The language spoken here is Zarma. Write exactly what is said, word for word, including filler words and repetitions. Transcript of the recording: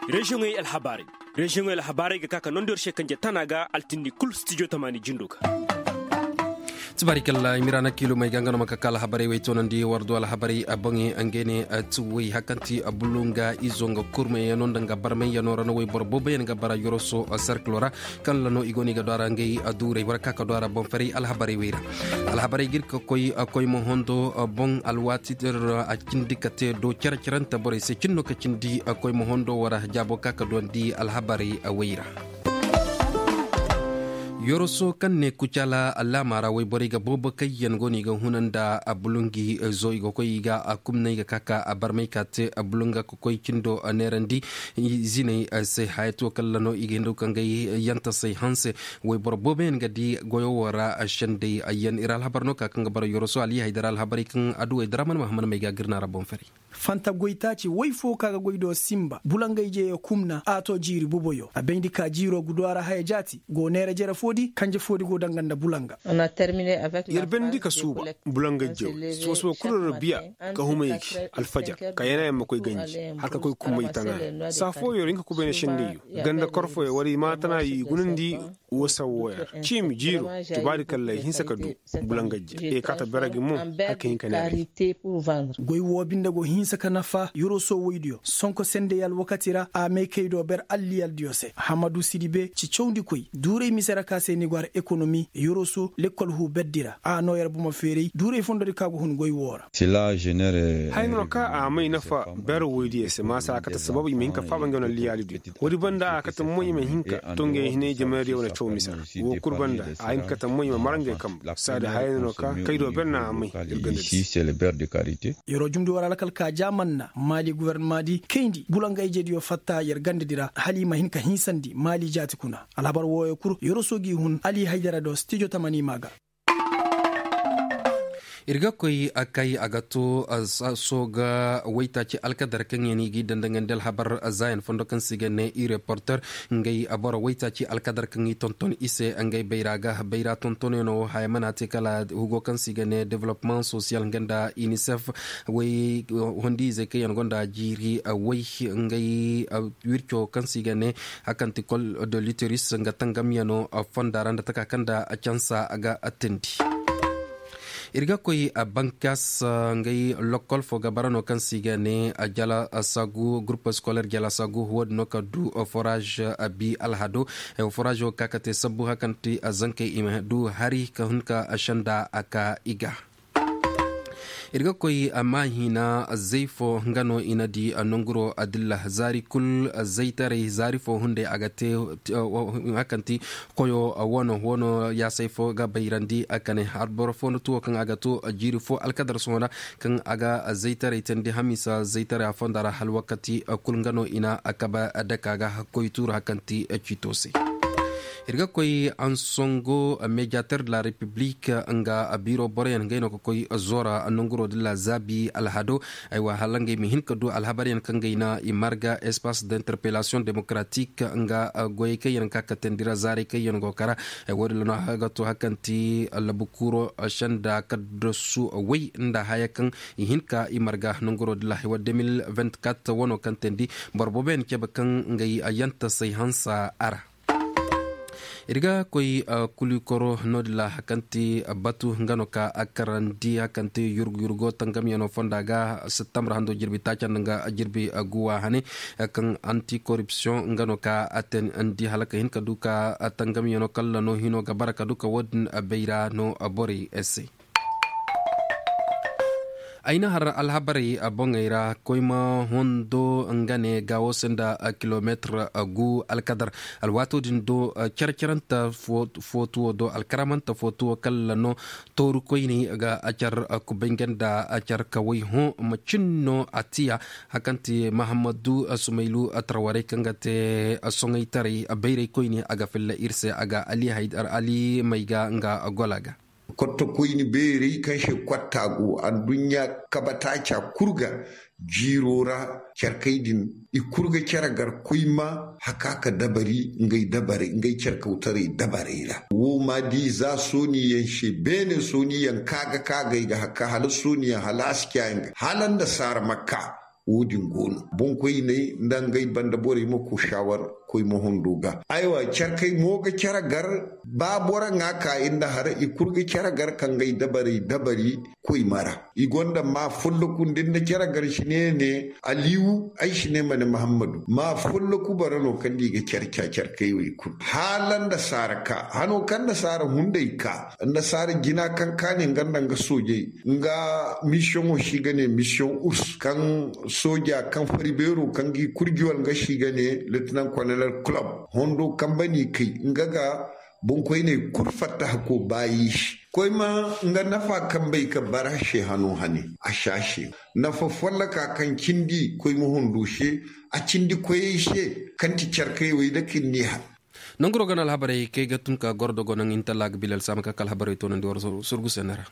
Reziyoŋey alhabaarey. Reziyoŋey alhabaarey ga ka ka nondiyar se kanje tana ga altindi kulu studio tamaani jindo ga. Tibaari kalla i ma ira na kiilo may ga nga no ma ka ka alhabaarey way toonandi war do alhabaarey a boŋey nga ne. Tuwey hakanti a bulunga izo nga kurmey yaŋ no nda nga barmey yaŋ no ra na wayboro boobo yaŋ ga bara yoroso sarkilo ra. Kaŋ ra no i go no i ga do a ra ngey duurey war ka ka do a ra boŋ faray alhabaarey way ra. Alhabaarey ga iri ka koy koy ma hondo boŋ alwaati a cindi ka te do care carante borey se cin no ka cindi koy ma hondo war jaabo ka ka duwandi alhabaarey way ra. Yoroso kaŋ ne kucala allaama ra wayborey ga boobo kaŋ yaŋ go no i ga huna nda bulungi zo i ga koy i ga a kumna i ga ka ka a barmay ka te bulunga ka koy cindo neerandi. Ziney se haya to kalla no i ga hindu ka ngey yantasey hanse. Wayboro boobo yaŋ ga di goyo wo ra sendey ayyaŋ iri alhabar no ka kaŋ ga bara yoroso ali haydara alhabarey kaŋ aduwey daraman mahamman may ga girna ra boŋ fari. Fanta goy taaci way fo ka ga goy do simba bulangay jeeyo kumna a to jiiri buboyo a bayndi ka jiiro gudu a ra haya jaati go neera jere foodi kanje foodi go danga nda bulanga. Yer bandi ka suuba bulangay jeeyo suba suba kulu ra biya ka humay alfajar ka yana yamma koy ganji har ka koy kumay tana. Saa fooyo ra hinka kubay na sendayyo ganda korfoyo wala i ma tana i gunandi. Wo sawo wo yar ciimi jiiro tubaari kallay hinsa ka du. Bulangajje e kaata beragi mo. Hakka hinka ne. Goy wo binde go hinsa ka nafa yoroso woydiyo sonko sendey alwakati ra a may kay do ber alliyaldiyo se hamadu sidibe ci cawndi koy duuray mise ra ka se ni go har ekonomi yoroso lekkol hu berdi ra a no yar buma feeray duuray fondodi ka go hun goy wo ra. Haya no ka a may nafa ber woydiyo se maasa a kate sababu i ma hin ka faaba ngey wane alliyalidiyo. Woodi banda a kate mo i ma hin ka to ngey hinay jamaydiyo wane caw mise ra. Wo kulu banda a hin ka kate mo i ma mara ngey kambe saadi haya no ka kay do ber na a may. Iri ganda di se. Yeroo jumndi war alkal ka jaaman na maali guvernama di kayndi bulangayjediyo fatta yer ganda di ra hala i ma hin ka hinsandi maali jaati kuna. Alhabar wooyo kulu yeroo soogi hun ali haydara do stijo tamani ma ga. Iri ga koy a kay a ga to sooga waytaaci alkadar kaŋ yaŋ i ga i dandangandi alhabar zaayan fondo kaŋ se i ga ne i reporter. Ngey boro waytaaci alkadar kaŋ i tonton i se ngey bayra ga bayra tontonyaŋo haya mana te kala hugo kaŋ se i ga ne development social nga nda unicef. Way hondiizey kaŋ yaŋ gonda jiiri way ngey wirco kaŋ se i ga ne hakanti kol de luteris nga tangamyaŋo fonda ra nda taka kaŋ da cansa ga tindi. Iri ga koy bankas ngey lokol fo ga bara no kaŋ se i ga ne jala sagu groupe scolaire jala sagu wo- din no ka du forage bi alhado. Forage wo ga ka ga te sabbu hakanti zankey i ma du hari ka hun ka senda a ka i ga. Iri ga koy a ma hina zay fo nga no i na di nonguro adilla zaari kulu zaytaray zaari fo hunday a ga te hakanti koyo wano wano yaasay fo ga bayrandi a kane har boro fo no tuwo kaŋ a ga to jiiri fo alkadar sohona kaŋ a ga zaytaray tandi hamisa zaytaray a fonda ra hal wakati kulu nga no i na a kaba daka ga koy tuuru hakanti ciito se. Iri ga koy ansongo mediateur de la république nga biro boroyaŋ ngey no ga koy zora nonguro de la zabi alhado. Aywa hala ngey ma hin ka du alhabaryaŋ kaŋ gay na i marga espace d'interpellation démocratique nga goyey kaŋ yaŋ ka katandi ra zaaray kaŋ yaŋ go kara. Wo- din no a ga to hakanti labu kuro senda kaddasu way nda haya kaŋ i hin ka i marga nonguro de la haiwa deux mille vingt-quatre wano kaŋ tandi boro boobo yaŋ cabe kaŋ ngey yantasay hansa a ra. Iri ga koy kulikoro no- din ra hakanti batu nga no ka a karandi hakanti yurgu yurgo tangamyaŋo fonda ga septembre hando jirbi taaca nda nga jirbi guwa hane kaŋ anti corruption nga no ka a ten andi hala ka hin ka du ka tangamyaŋo kalla no hino ga bara ka du ka wo- din bayra no borey se. Ay na har alhabarey boŋey ra koyma hondo nga ne gaawo se nda kilomeetir gu alkadar. Alwaato din do care-carante footuwo do alkaramante footuwo kala no tooru koyne ga acar kubay nga nda acar kaway hõ macin no a tiya. Hakanti mahammadu sumaylu tarwarey kaŋ ga te soŋay taray bayray koyne a ga filla iri se a ga ali may ga nga gola ga. Kotto koyni beerey kaŋ se kwatta go anduɲɲa kabataaca kulu ga jiiro ra. Carkey din i kulu ga care gar koyma haka ka dabari ngey dabarey ngey carkawtaray dabarey ra. Wo ma di za sooniyaŋ se beene sooniyaŋ ka ga ka ga ay ga haka hala sooniyaŋ hala a si caayaŋ ga hala nda saara makka. Wo- din go no boŋkoyney nda ngey banda borey ma ku shawar koy ma hondo ga. Aywa, care kay mo ga care gar. Ba boro ŋwa ka iri nda hara i kulu ga care gar ka ngey dabarey dabari koy mara. I gonda ma folloku nda iri na care gar si ne ne aliwu ay si ne ma ne muhammadu ma folloku boro no kaŋ da i ga care care kay wo i kulu hala nda saara ka hano kaŋ nda saara hunday ka nda saara jina kaŋ kaani nga nda nga soojey nga misiyoŋo si ga ne misiyoŋ urs kaŋ sooja kaŋ fari beero kaŋ ga i kurji wala nga si ga ne lieutenant colonel club hondo kaŋ bani kay nga ga boŋkoyney kulu fatta hako baayi se. Koy ma nga nafa kaŋ bay ka bara se hano hane a si a se nafa folloka kaŋ cindi koy ma hondo se a cindi koyey se kaŋ ti care kay wo i da kaŋ ni ha. Nanguro gana alhabarey kay ga tun ka goro dogo naŋ intalla ga bilal sama ka kala alhabarey toonandi war sorgu senne ra.